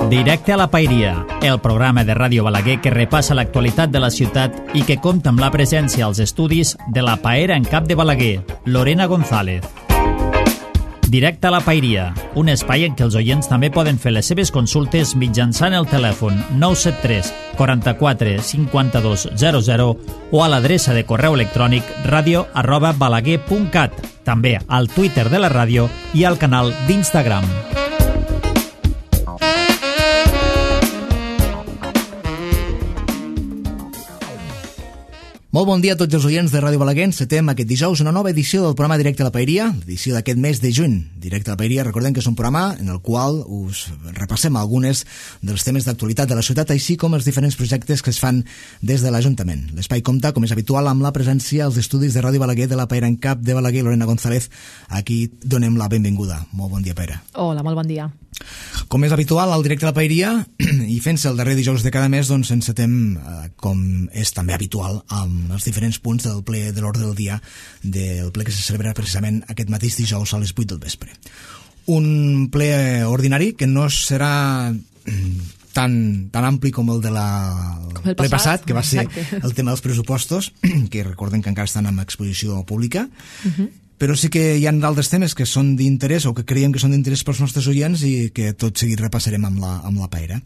Directe a la Paeria, el programa de Ràdio Balaguer que repassa l'actualitat de la ciutat i que compta amb la presència als estudis de la paera en cap de Balaguer, Lorena González. Directe a la Paeria, un espai en què els oients també poden fer les seves consultes mitjançant el telèfon 973 44 52 00 o a l'adreça de correu electrònic radio@balaguer.cat, també al Twitter de la ràdio i al canal d'Instagram. Molt bon dia a tots els oients de Ràdio Balaguer. Encetem aquest dijous una nova edició del programa Directe a la Paeria, l'edició d'aquest mes de juny. Directe a la Paeria, recordem que és un programa en el qual us repassem algunes dels temes d'actualitat de la ciutat, així com els diferents projectes que es fan des de l'Ajuntament. L'espai compta, com és habitual, amb la presència als estudis de Ràdio Balaguer de la Paera en cap de Balaguer, Lorena González. Aquí donem la benvinguda. Molt bon dia, Paera. Hola, molt bon dia. Com és habitual, al Directe a la Paeria, i fent-se el darrer dijous de cada mes, doncs encetem, com és també habitual, amb els diferents punts del ple de l'ordre del dia, del ple que se celebra precisament aquest mateix dijous a les 8 del vespre. Un ple ordinari que no serà tan ampli com el de el ple passat, que va ser el tema dels pressupostos, que recordem que encara estan en exposició pública, però sí que hi ha d'altres temes que són d'interès o que creiem que són d'interès pels nostres oients i que tot seguit repassarem amb la Paera.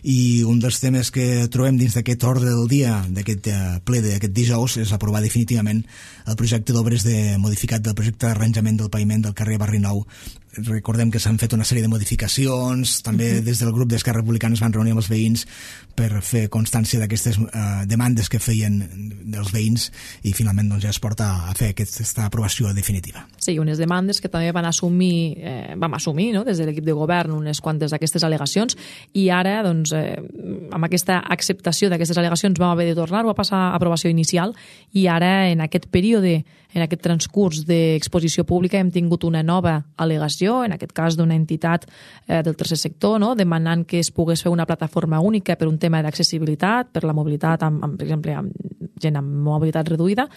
I un dels temes que trobem dins d'aquest ordre del dia d'aquest ple d'aquest dijous és aprovar definitivament el projecte d'obres modificat del projecte d'arranjament del paviment del carrer Barri Nou. Recordem que s'han fet una sèrie de modificacions, també des del grup d'Esquerra Republicana es van reunir amb els veïns per fer constància d'aquestes demandes que feien dels veïns i finalment doncs, ja es porta a fer aquesta aprovació definitiva. Sí, unes demandes que també vam assumir, no? Des de l'equip de govern unes quantes d'aquestes al·legacions i ara doncs, amb aquesta acceptació d'aquestes al·legacions vam haver de tornar-ho a passar a aprovació inicial i ara en aquest període, en aquest transcurs d'exposició pública hem tingut una nova al·legació, en aquest cas d'una entitat del tercer sector, no? Demanant que es pogués fer una plataforma única per un tema d'accessibilitat, per la mobilitat, per exemple, amb gent amb mobilitat reduïda,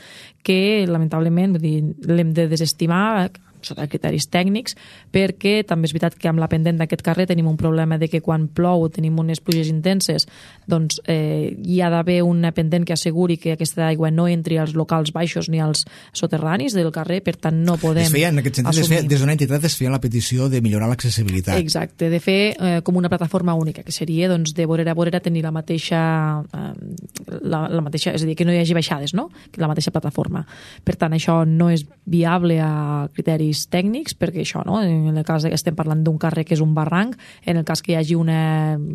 que lamentablement l'hem de desestimar sota criteris tècnics, perquè també és veritat que amb la pendent d'aquest carrer tenim un problema de que quan plou tenim unes pluges intenses, doncs hi ha d'haver una pendent que asseguri que aquesta aigua no entri als locals baixos ni als soterranis del carrer, per tant no podem en aquest sentit, des d'una entitat es feia la petició de millorar l'accessibilitat. Exacte, de fer com una plataforma única, que seria doncs, de vorera a vorera tenir la mateixa, és a dir, que no hi hagi baixades, no? La mateixa plataforma. Per tant, això no és viable a criteris tècnics, perquè això, no? En el cas que estem parlant d'un carrer que és un barranc, en el cas que hi hagi una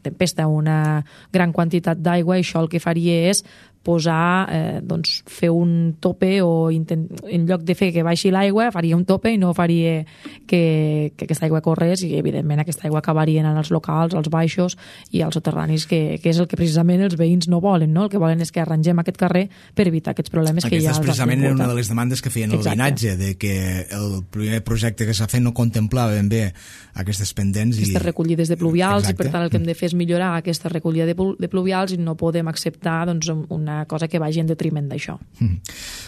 tempesta, una gran quantitat d'aigua, això el que faria és posar, fer un tope o en lloc de fer que baixi l'aigua faria un tope i no faria que aquesta aigua corrés i evidentment aquesta aigua acabaria anant als locals, als baixos i als soterranis, que és el que precisament els veïns no volen, no? El que volen és que arrangem aquest carrer per evitar aquests problemes que hi ha. Aquesta precisament era una de les demandes que feien el veïnatge, de que el primer projecte que s'ha fet no contemplava ben bé aquestes pendents. Aquestes recollides de pluvials. Exacte. I per tant el que hem de fer és millorar aquesta recollida de pluvials i no podem acceptar una cosa que vagi en detriment d'això.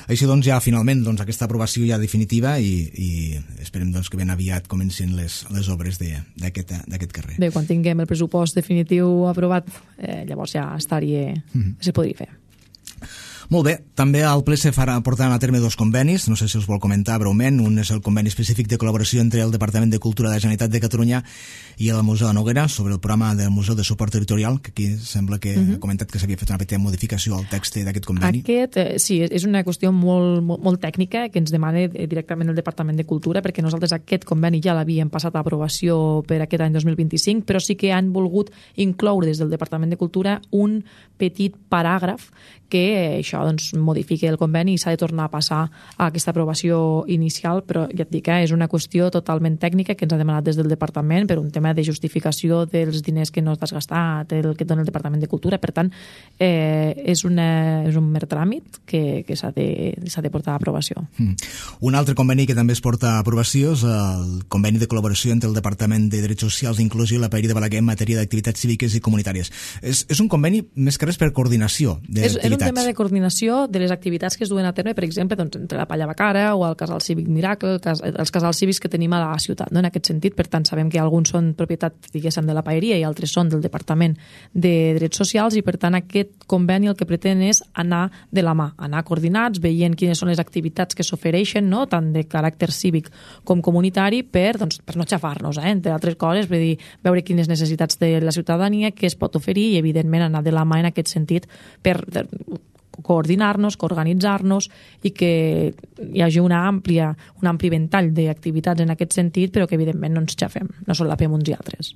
Així doncs ja finalment aquesta aprovació ja definitiva i esperem doncs, que ben aviat comencin les obres d'aquest carrer. Bé, quan tinguem el pressupost definitiu aprovat, llavors ja se podria fer. Molt bé, també al ple se portaran a terme dos convenis, no sé si els vol comentar breument. Un és el conveni específic de col·laboració entre el Departament de Cultura de la Generalitat de Catalunya i el Museu de Noguera sobre el programa del Museu de Suport Territorial, que aquí sembla que ha comentat que s'havia fet una petita modificació al text d'aquest conveni. Sí, és una qüestió molt tècnica que ens demana directament el Departament de Cultura, perquè nosaltres aquest conveni ja l'havíem passat a aprovació per aquest any 2025, però sí que han volgut incloure des del Departament de Cultura un petit paràgraf que això modifiqui el conveni i s'ha de tornar a passar a aquesta aprovació inicial, però ja et dic, és una qüestió totalment tècnica que ens ha demanat des del Departament per un tema de justificació dels diners que no t'has gastat, el que et dona el Departament de Cultura. Per tant, és un mer tràmit que s'ha de portar a aprovació. Un altre conveni que també es porta a aprovació és el conveni de col·laboració entre el Departament de Drets Socials i Inclusió i la Paeria de Balaguer en matèria d'activitats cíviques i comunitàries. És un conveni més que res per coordinació d'activitats. És un tema de coordinació coordinació de les activitats que es duen a terme, per exemple, doncs, entre la Palla Bacara o el Casal Cívic Miracle, els casals cívics que tenim a la ciutat, no? En aquest sentit. Per tant, sabem que alguns són propietat, diguéssim, de la paeria i altres són del Departament de Drets Socials, i per tant aquest conveni el que pretén és anar de la mà, anar coordinats, veient quines són les activitats que s'ofereixen, no? Tant de caràcter cívic com comunitari, per no xafar-nos, entre altres coses, per dir, veure quines necessitats té la ciutadania, què es pot oferir, i evidentment anar de la mà en aquest sentit per coordinar-nos, coorganitzar-nos, i que hi hagi un ampli ventall d'activitats en aquest sentit, però que evidentment no ens xafem, no solapem uns i altres.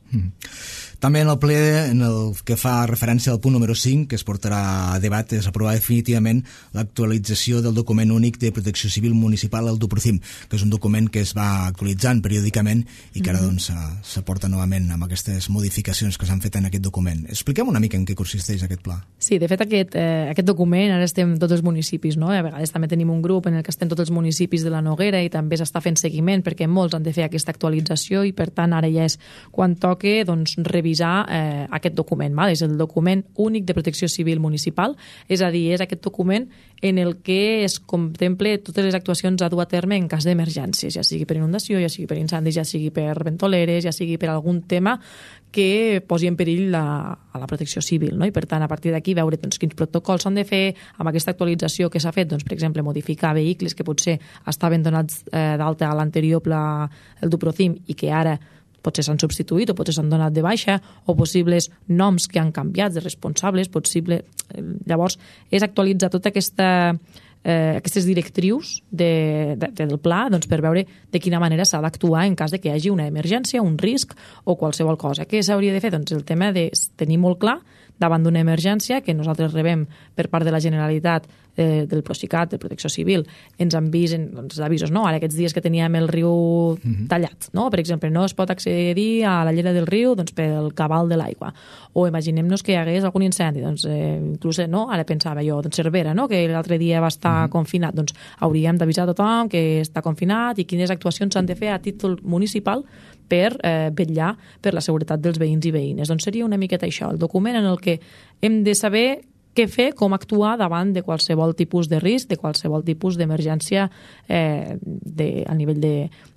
També en el ple, en el que fa referència al punt número 5, que es portarà a debat, és aprovar definitivament l'actualització del document únic de protecció civil municipal, el DUPROCIM, que és un document que es va actualitzant periòdicament i que ara s'aporta novament amb aquestes modificacions que s'han fet en aquest document. Expliquem una mica en què consisteix aquest pla. Sí, de fet aquest document, ara estem tots els municipis, no? A vegades també tenim un grup en el que estem tots els municipis de la Noguera i també s'està fent seguiment perquè molts han de fer aquesta actualització, i per tant ara ja és quan toca revisar aquest document. És el document únic de protecció civil municipal, és a dir, és aquest document en el que es contempla totes les actuacions a dur a terme en cas d'emergències, ja sigui per inundació, ja sigui per incendis, ja sigui per ventoleres, ja sigui per algun tema que posi en perill a la protecció civil, no? I per tant, a partir d'aquí, veure quins protocols s'han de fer amb aquesta actualització que s'ha fet, per exemple, modificar vehicles que potser estaven donats d'alta a l'anterior pla, el DUPROCIM, i que ara potser s'han substituït o potser s'han donat de baixa, o possibles noms que han canviat de responsables, llavors és actualitzar tota aquestes directrius del pla, per veure de quina manera s'ha d'actuar en cas de que hi hagi una emergència, un risc o qualsevol cosa. Què s'hauria de fer? El tema de tenir molt clar davant d'una emergència que nosaltres rebem per part de la Generalitat, del Procicat, de Protecció Civil, ens envisen avisos, no? Ara aquests dies que teníem el riu tallat, no? Per exemple, no es pot accedir a la llera del riu pel cabal de l'aigua. O imaginem-nos que hi hagués algun incendi, inclús, no? Ara pensava jo, Cervera, no? Que l'altre dia va estar confinat, hauríem d'avisar a tothom que està confinat i quines actuacions s'han de fer a títol municipal per vetllar per la seguretat dels veïns i veïnes. Seria una miqueta això, el document en el que hem de saber què fer, com actuar davant de qualsevol tipus de risc, de qualsevol tipus d'emergència a nivell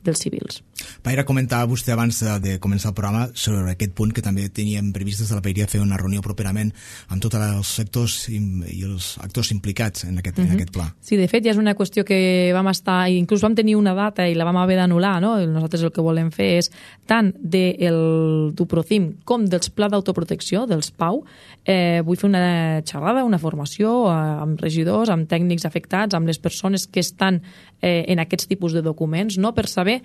dels civils. Paira, comentava vostè abans de començar el programa sobre aquest punt, que també teníem previst des de la Paeria fer una reunió properament amb tots els sectors i els actors implicats en aquest pla. Sí, de fet ja és una qüestió que vam estar, inclús vam tenir una data i la vam haver d'anul·lar, no? Nosaltres el que volem fer és tant del DUPROCIM com dels Pla d'Autoprotecció, dels PAU. Vull fer una xerrada, una formació amb regidors, amb tècnics afectats, amb les persones que estan en aquests tipus de documents, no? Per saber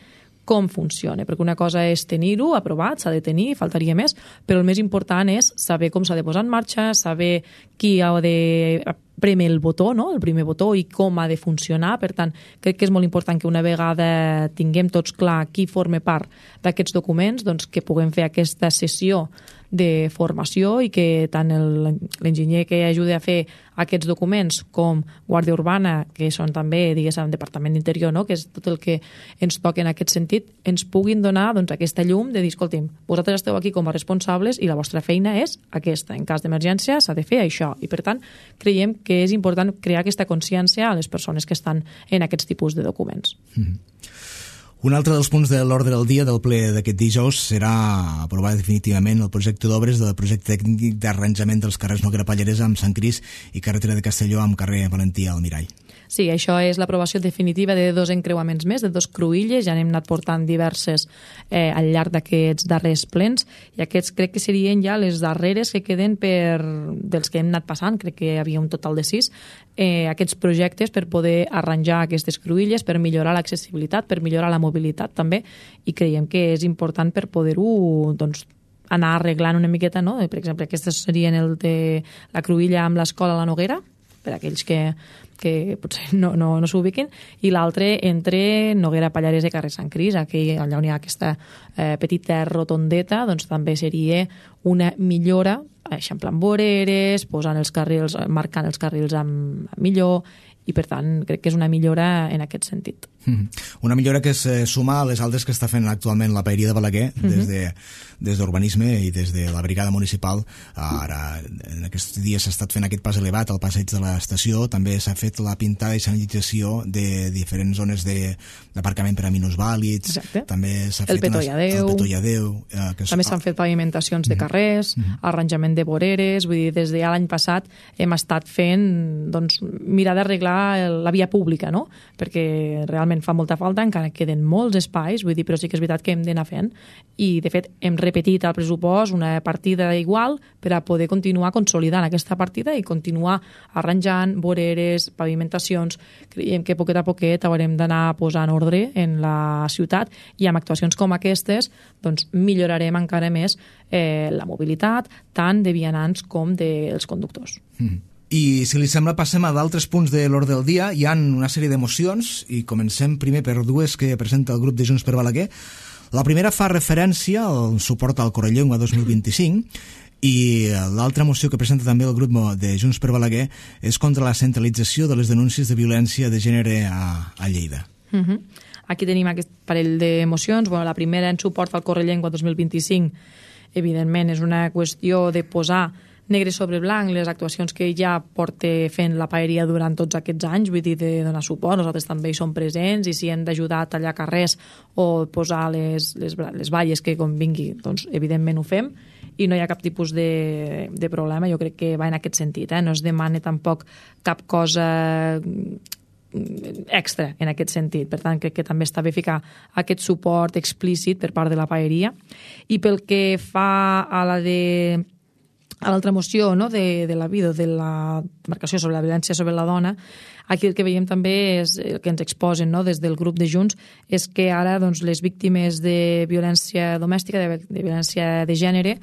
com funciona, perquè una cosa és tenir-ho aprovat, s'ha de tenir, faltaria més, però el més important és saber com s'ha de posar en marxa, saber qui ha de prémer el botó, no? El primer botó, i com ha de funcionar. Per tant, crec que és molt important que una vegada tinguem tots clar qui forma part d'aquests documents, que puguem fer aquesta sessió de formació i que tant l'enginyer que ajuda a fer aquests documents com Guàrdia Urbana, que són també, diguéssim, Departament d'Interior, no? Que és tot el que ens toca en aquest sentit, ens puguin donar aquesta llum de dir, escolti'm, vosaltres esteu aquí com a responsables i la vostra feina és aquesta. En cas d'emergència s'ha de fer això. I per tant, creiem que és important crear aquesta consciència a les persones que estan en aquests tipus de documents. Un altre dels punts de l'ordre del dia del ple d'aquest dijous serà aprovar definitivament el projecte d'obres del projecte tècnic d'arranjament dels carrers Noguera Pallaresa amb Sant Cris i carretera de Castelló amb carrer Valentí Almirall. Sí, això és l'aprovació definitiva de 2 encreuaments més, de 2 cruïlles, ja n'hem anat portant diverses al llarg d'aquests darrers plens, i aquests crec que serien ja les darreres que queden dels que hem anat passant, crec que hi havia un total de 6, aquests projectes per poder arranjar aquestes cruïlles, per millorar l'accessibilitat, per millorar la mobilitat també, i creiem que és important per poder-ho anar arreglant una miqueta, no? Per exemple, aquestes serien el de la cruïlla amb l'escola a la Noguera, per aquells que potser no s'ubiquin, i l'altre entre Noguera Pallaresa i carrer Sant Cris, allà on hi ha aquesta petita rotondeta, també seria una millora, eixamplant voreres, marcant els carrils millor, i per tant crec que és una millora en aquest sentit. Una millora que es suma a les altres que està fent actualment la Paeria de Balaguer des d'Urbanisme i des de la brigada municipal. Ara, en aquests dies s'ha estat fent aquest pas elevat al passeig de l'estació, també s'ha fet la pintada i senyalització de diferents zones d'aparcament per a minusvàlids. Exacte. També s'ha El fet Petó i Adéu. També s'han fet pavimentacions de carrers, arranjament de voreres, vull dir, des de l'any passat hem estat fent, doncs, mirar d'arreglar la via pública, no? Perquè realment fa molta falta, encara queden molts espais, vull dir, però sí que és veritat que hem d'anar fent, i de fet hem repetit al pressupost una partida igual per a poder continuar consolidant aquesta partida i continuar arranjant voreres, pavimentacions. Creiem que poquet a poquet haurem d'anar posant ordre en la ciutat, i amb actuacions com aquestes doncs millorarem encara més la mobilitat, tant de vianants com dels conductors. I, si li sembla, passem a d'altres punts de l'ordre del dia. Hi ha una sèrie de mocions i comencem primer per dues que presenta el grup de Junts per Balaguer. La primera fa referència al suport al Correllengua 2025 i l'altra moció que presenta també el grup de Junts per Balaguer és contra la centralització de les denúncies de violència de gènere a Lleida. Aquí tenim aquest parell de mocions. Bueno, la primera, en suport al Correllengua 2025, evidentment és una qüestió de posar negre sobre blanc les actuacions que ja porta fent la Paeria durant tots aquests anys, vull dir, de donar suport. Nosaltres també hi som presents, i si hem d'ajudar a tallar carrers o posar les valles que convingui, doncs evidentment ho fem, i no hi ha cap tipus de problema. Jo crec que va en aquest sentit, no es demana tampoc cap cosa extra en aquest sentit. Per tant, crec que també està bé ficar aquest suport explícit per part de la Paeria. I pel que fa a l'altra moció, no, de la vida, de la marcació sobre la violència sobre la dona, aquí el que veiem també és el que ens exposen, no, des del grup de Junts, és que ara doncs, les víctimes de violència domèstica, de violència de gènere,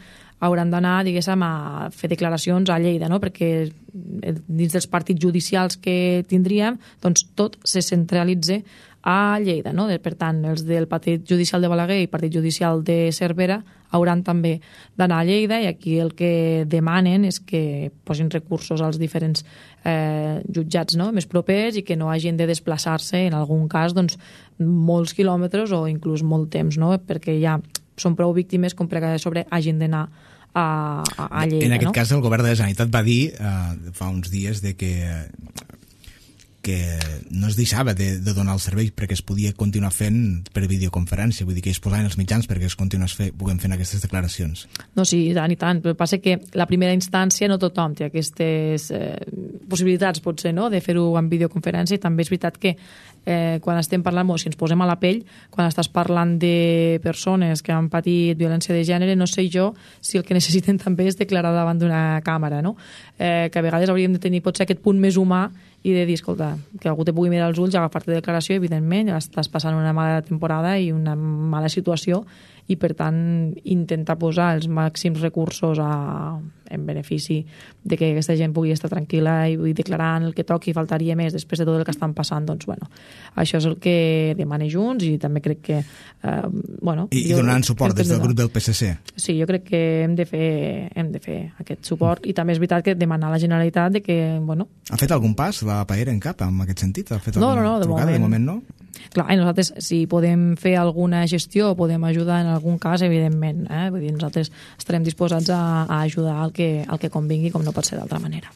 hauran d'anar, diguéssim, a fer declaracions a Lleida, no? Perquè dins dels partits judicials que tindríem, doncs tot se centralitza a Lleida, no? Per tant, els del Partit Judicial de Balaguer i Partit Judicial de Cervera hauran també d'anar a Lleida, i aquí el que demanen és que posin recursos als diferents jutjats, no?, més propers, i que no hagin de desplaçar-se, en algun cas, doncs, molts quilòmetres o inclús molt temps, no?, perquè ja són prou víctimes com per sobre hagin d'anar a Lleida. En aquest cas, el govern de la Generalitat va dir fa uns dies de que no es deixava de donar el servei perquè es podia continuar fent per videoconferència, vull dir que es posaven els mitjans perquè es puguem fent aquestes declaracions. No, sí, i tant, però passa que la primera instància no tothom té aquestes possibilitats, potser, no?, de fer-ho en videoconferència, i també és veritat que quan estem parlant, si ens posem a la pell, quan estàs parlant de persones que han patit violència de gènere, no sé jo si el que necessiten també és declarar davant d'una càmera, no?, que a vegades hauríem de tenir potser aquest punt més humà i de dir, escolta, que algú te pugui mirar als ulls, agafar-te de declaració, evidentment, estàs passant una mala temporada i una mala situació, i per tant intentar posar els màxims recursos en benefici de que aquesta gent pugui estar tranquil·la i declarant el que toqui, faltaria més després de tot el que estan passant. Doncs bueno, això és el que demana Junts, i també crec que I donant suport des del grup del PSC. Sí, jo crec que hem de fer aquest suport, i també és veritat que demanar a la Generalitat de que, Ha fet algun pas la Paeria en cap en aquest sentit? Ha fet no, de moment no? Clar, i nosaltres, si podem fer alguna gestió o podem ajudar en algun cas, evidentment, vull dir, nosaltres estarem disposats a ajudar al que convingui, com no pot ser d'altra manera.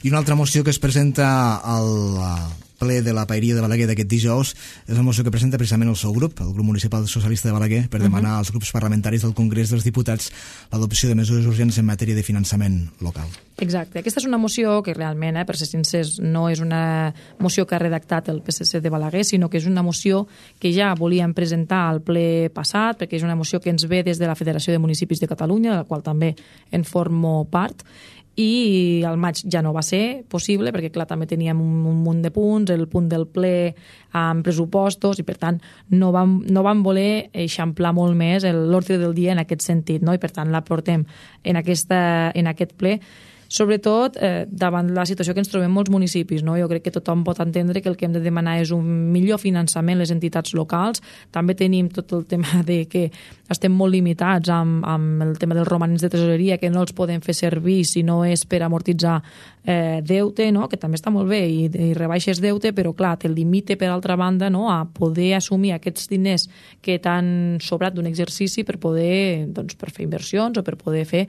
I una altra moció que es presenta al ple de la Paeria de Balaguer d'aquest dijous és la moció que presenta precisament el seu grup, el grup municipal socialista de Balaguer, per demanar als grups parlamentaris del Congrés dels Diputats l'adopció de mesures urgents en matèria de finançament local. Exacte. Aquesta és una moció que realment, per ser sincers, no és una moció que ha redactat el PSC de Balaguer, sinó que és una moció que ja volíem presentar al ple passat, perquè és una moció que ens ve des de la Federació de Municipis de Catalunya, de la qual també en formo part, i al maig ja no va ser possible perquè, clar, també teníem un munt de punts, el punt del ple amb pressupostos, i per tant no vam voler eixamplar molt més l'ordre del dia en aquest sentit, no? I per tant la portem en aquest ple sobretot davant la situació que ens trobem molts municipis, no? Jo crec que tothom pot entendre que el que hem de demanar és un millor finançament a les entitats locals. També tenim tot el tema de que estem molt limitats amb el tema dels romanents de tresoreria, que no els podem fer servir si no és per amortitzar deute, no? Que també està molt bé i rebaixes deute, però clar, te limita per altra banda, no? A poder assumir aquests diners que t'han sobrat d'un exercici per poder, doncs, per fer inversions o per poder fer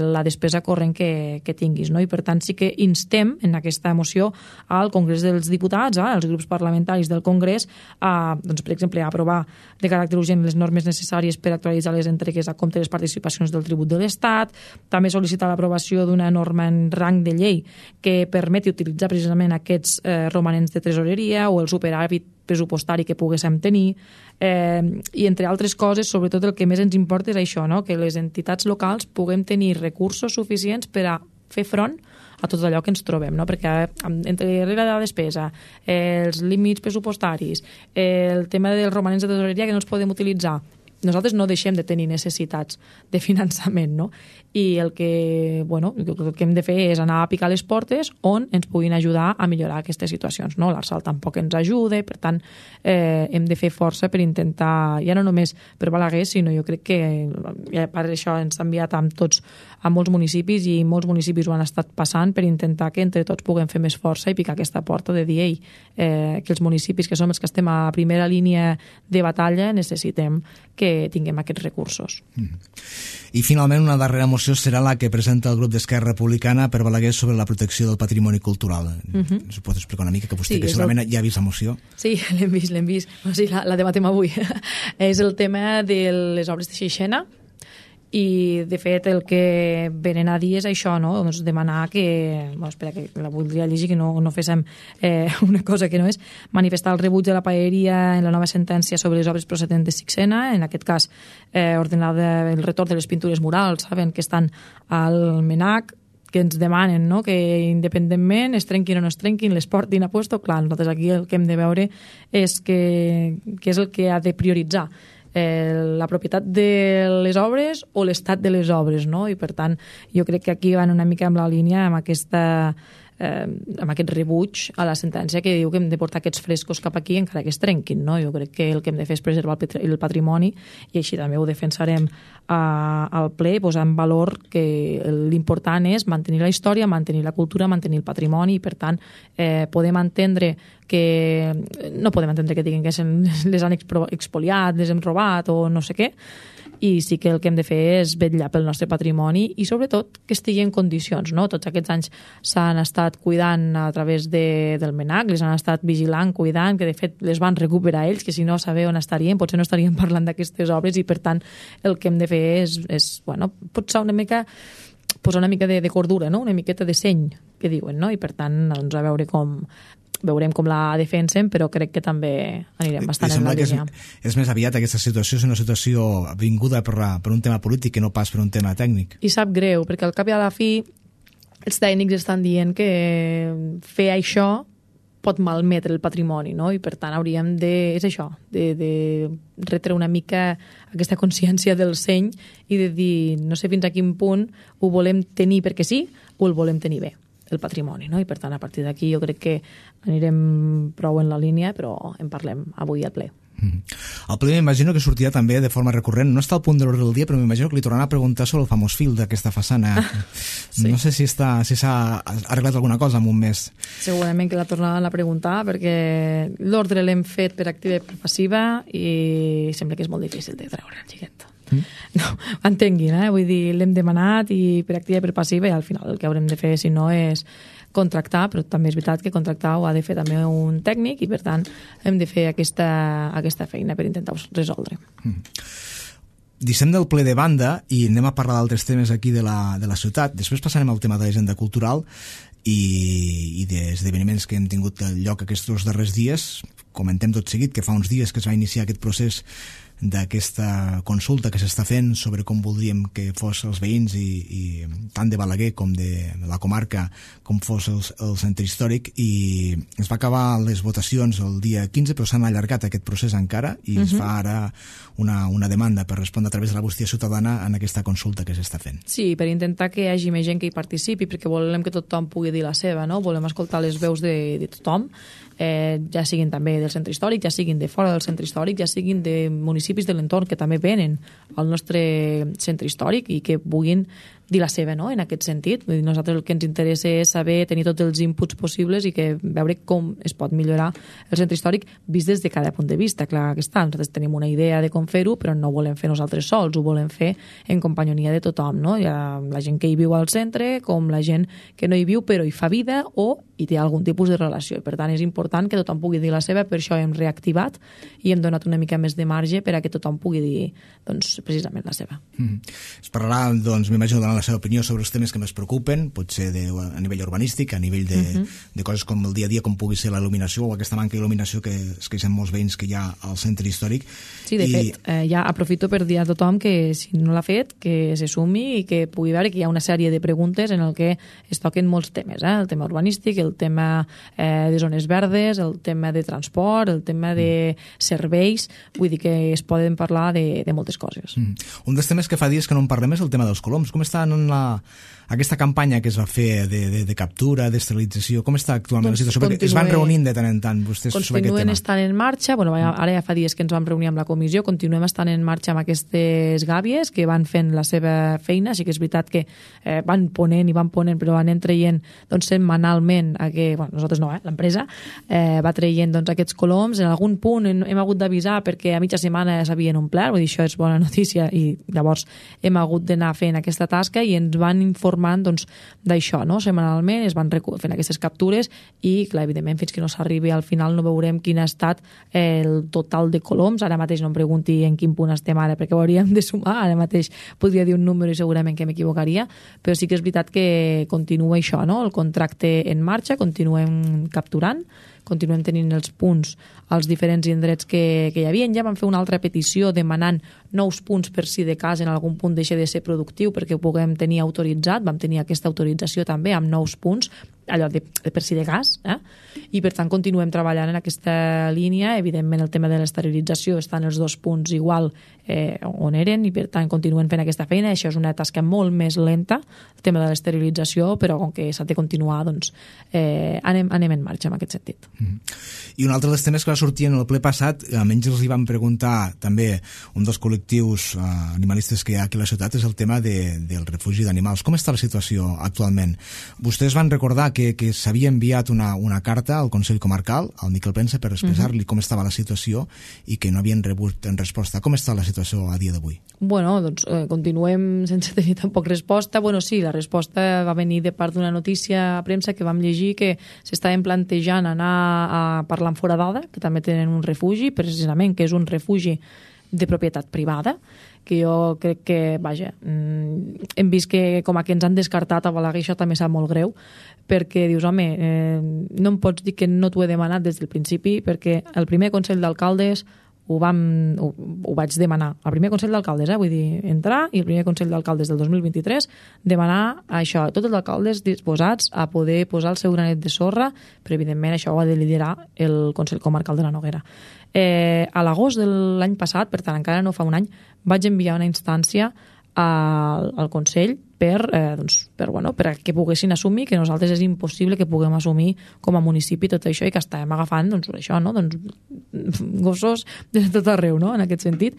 la despesa corrent que tinguis, no? I per tant sí que instem en aquesta moció al Congrés dels Diputats, als grups parlamentaris del Congrés, doncs, per exemple, a aprovar de caràcter urgent les normes necessàries per actualitzar les entregues a compte de les participacions del tribut de l'Estat, també sol·licitar l'aprovació d'una norma en rang de llei que permeti utilitzar precisament aquests romanents de tresoreria o el superàvit pressupostari que poguéssim tenir, i entre altres coses, sobretot el que més ens importa és això, no? Que les entitats locals puguem tenir recursos suficients per a fer front a tot allò que ens trobem, no? Perquè entre regla de la despesa, els límits pressupostaris, el tema dels romanents de tesoreria que no els podem utilitzar, nosaltres no deixem de tenir necessitats de finançament, no? I el que hem de fer és anar a picar les portes on ens puguin ajudar a millorar aquestes situacions, no? L'Arsal tampoc ens ajuda, per tant, hem de fer força per intentar, ja no només per Balaguer, sinó jo crec que per això ens ha enviat a molts municipis i molts municipis ho han estat passant per intentar que entre tots puguem fer més força i picar aquesta porta de dir, que els municipis que som els que estem a primera línia de batalla necessitem que tinguem aquests recursos. I finalment una darrera moció serà la que presenta el grup d'Esquerra Republicana per Balaguer sobre la protecció del patrimoni cultural. Us pot explicar una mica, que vostè que segurament ja ha vist la moció? Sí, l'hem vist. O sigui, la debatem avui. És el tema de les obres de Xixena, i de fet el que venen a dir és això, no? Doncs demanar que, espera que la voldria llegir, que no féssim una cosa que no és, manifestar el rebuig de la paeria en la nova sentència sobre les obres procedents de Sixena, en aquest cas ordenar el retorn de les pintures murals, saben, que estan al MNAC, que ens demanen, no? Que independentment es trenquin o no es trenquin, les portin a puesto. Clar, nosaltres aquí el que hem de veure és que és el que ha de prioritzar, la propietat de les obres o l'estat de les obres, no? I per tant jo crec que aquí van una mica amb la línia amb aquest rebuig a la sentència que diu que hem de portar aquests frescos cap aquí encara que es trenquin, no? Jo crec que el que hem de fer és preservar el patrimoni, i així també ho defensarem al ple, posar en valor que l'important és mantenir la història, mantenir la cultura, mantenir el patrimoni, i per tant podem entendre que diguin que les han expoliat, les hem robat o no sé què, i sí que el que hem de fer és vetllar pel nostre patrimoni i sobretot que estigui en condicions, no? Tots aquests anys s'han estat cuidant a través del MNAC, les han estat vigilant, cuidant, que de fet les van recuperar ells, que si no saber on estarien, potser no estaríem parlant d'aquestes obres, i per tant el que hem de fer és potser una mica posar una mica de cordura, no? Una miqueta de seny, que diuen, no? I per tant, doncs, a veure veurem com la defensen, però crec que també anirem bastant en la línia. És més aviat aquesta situació és una situació vinguda per un tema polític que no pas per un tema tècnic. I sap greu, perquè al cap i a la fi els tècnics estan dient que fer això pot malmetre el patrimoni, no? I per tant hauríem de retre una mica aquesta consciència del seny i de dir, no sé fins a quin punt ho volem tenir perquè sí o el volem tenir bé, el patrimoni, no? I per tant a partir d'aquí jo crec que anirem prou en la línia, però en parlem avui al ple. El ple m'imagino que sortirà també de forma recurrent, no està al punt de l'ordre del dia, però m'imagino que li tornaran a preguntar sobre el famós fil d'aquesta façana. Sí. No sé si s'ha arreglat alguna cosa en un mes. Segurament que la tornaran a preguntar, perquè l'ordre l'hem fet per activa i per passiva i sembla que és molt difícil de treure el xiquet. No, entenguin, vull dir, l'hem demanat i per activa i per passiva, i al final el que haurem de fer, si no, és contractar, però també és veritat que contractar ho ha de fer també un tècnic, i per tant hem de fer aquesta feina per intentar resoldre. Deixem del ple de banda i anem a parlar d'altres temes aquí de la ciutat. Després passarem al tema de l'agenda cultural i d'esdeveniments que hem tingut lloc aquests darrers dies, comentem tot seguit que fa uns dies que es va iniciar aquest procés d'aquesta consulta que s'està fent sobre com voldríem que fos els veïns i tant de Balaguer com de la comarca com fos el centre històric, i es va acabar les votacions el dia 15, però s'han allargat aquest procés encara i es fa ara una demanda per respondre a través de la bústia ciutadana en aquesta consulta que s'està fent. Sí, per intentar que hi hagi més gent que hi participi, perquè volem que tothom pugui dir la seva, no? Volem escoltar les veus de tothom, ja siguin també del centre històric, ja siguin de fora del centre històric, ja siguin de municipis de l'entorn que també venen al nostre centre històric i que puguin dir la seva, no?, en aquest sentit. Vull dir, nosaltres el que ens interessa és saber, tenir tots els inputs possibles i que veure com es pot millorar el centre històric vist des de cada punt de vista. Clar que està, nosaltres tenim una idea de com fer-ho, però no ho volem fer nosaltres sols, ho volem fer en companyonia de tothom, no? Hi ha la gent que hi viu al centre, com la gent que no hi viu però hi fa vida o hi té algun tipus de relació. Per tant, és important que tothom pugui dir la seva, per això hem reactivat i hem donat una mica més de marge per a que tothom pugui dir, doncs, precisament la seva. Es parlarà, doncs, m'imagino, donant la seva opinió sobre els temes que més preocupen, potser a nivell urbanístic, a nivell de coses com el dia a dia, com pugui ser la il·luminació o aquesta manca d'il·luminació que es queixen molts veïns que hi ha al centre històric. Sí, de fet, ja aprofito per dir a tothom que si no l'ha fet, que se sumi i que pugui veure que hi ha una sèrie de preguntes en el que es toquen molts temes, el tema urbanístic, el tema de zones verdes, el tema de transport, el tema de serveis, vull dir que es poden parlar de moltes coses. Un dels temes que fa dies que no en parlem és el tema dels coloms. Com està en aquesta campanya que es va fer de captura, d'esterilització? Com està actualment la situació? Perquè es van reunint de tant en tant vostès sobre aquest tema. Continuen estant en marxa, ara ja fa dies que ens vam reunir amb la comissió, continuem estant en marxa amb aquestes gàbies que van fent la seva feina. Sí que és veritat que van ponent, però van traient setmanalment, nosaltres no, l'empresa va traient aquests coloms. En algun punt hem hagut d'avisar perquè a mitja setmana s'havien omplert, vull dir, això és bona notícia, i llavors hem hagut d'anar fent aquesta tasca i ens van informar d'això, no? Setmanalment es van fent aquestes captures i, clar, evidentment, fins que no s'arribi al final no veurem quin ha estat el total de coloms. Ara mateix no em pregunti en quin punt estem ara, perquè ho hauríem de sumar. Ara mateix podria dir un número i segurament que m'equivocaria, però sí que és veritat que continua això, no? El contracte en marxa, continuem capturant, continuem tenint els punts als diferents indrets que hi havia. Ja vam fer una altra petició demanant nous punts per si de cas en algun punt deixa de ser productiu perquè ho puguem tenir autoritzat. Vam tenir aquesta autorització també amb nous punts, allò de per si de cas, i per tant continuem treballant en aquesta línia. Evidentment el tema de l'esterilització està en els dos punts igual on eren i per tant continuem fent aquesta feina. Això és una tasca molt més lenta, el tema de l'esterilització, però com que s'ha de continuar, doncs anem en marxa en aquest sentit. I un altre dels temes que va sortir en el ple passat, almenys els hi vam preguntar també un dels col·lectius animalistes que hi ha aquí a la ciutat, és el tema del refugi d'animals. Com està la situació actualment? Vostès van recordar que s'havia enviat una carta al Consell Comarcal, al Miquel Pensa, per expressar-li com estava la situació i que no havien rebut en resposta. Com està la situació a dia d'avui? Bueno, doncs continuem sense tenir tampoc resposta. Bueno, sí, la resposta va venir de part d'una notícia a premsa que vam llegir que s'estaven plantejant anar a parlar amb Foradada, que també tenen un refugi, precisament, que és un refugi de propietat privada, que jo crec que, vaja, hem vist que com a que ens han descartat a Balaguer, això també sap molt greu, perquè dius, home, no em pots dir que no t'ho he demanat des del principi, perquè el primer Consell d'Alcaldes ho vaig demanar. El primer Consell d'Alcaldes, vull dir, entrar, i el primer Consell d'Alcaldes del 2023 demanar això, tots els alcaldes disposats a poder posar el seu granet de sorra, però evidentment això ho ha de liderar el Consell Comarcal de la Noguera. A l'agost de l'any passat, per tant encara no fa un any, vaig enviar una instància al Consell per que poguessin assumir que nosaltres és impossible que puguem assumir com a municipi tot això i que estàvem agafant això, no? Gossos de tot arreu, no? En aquest sentit.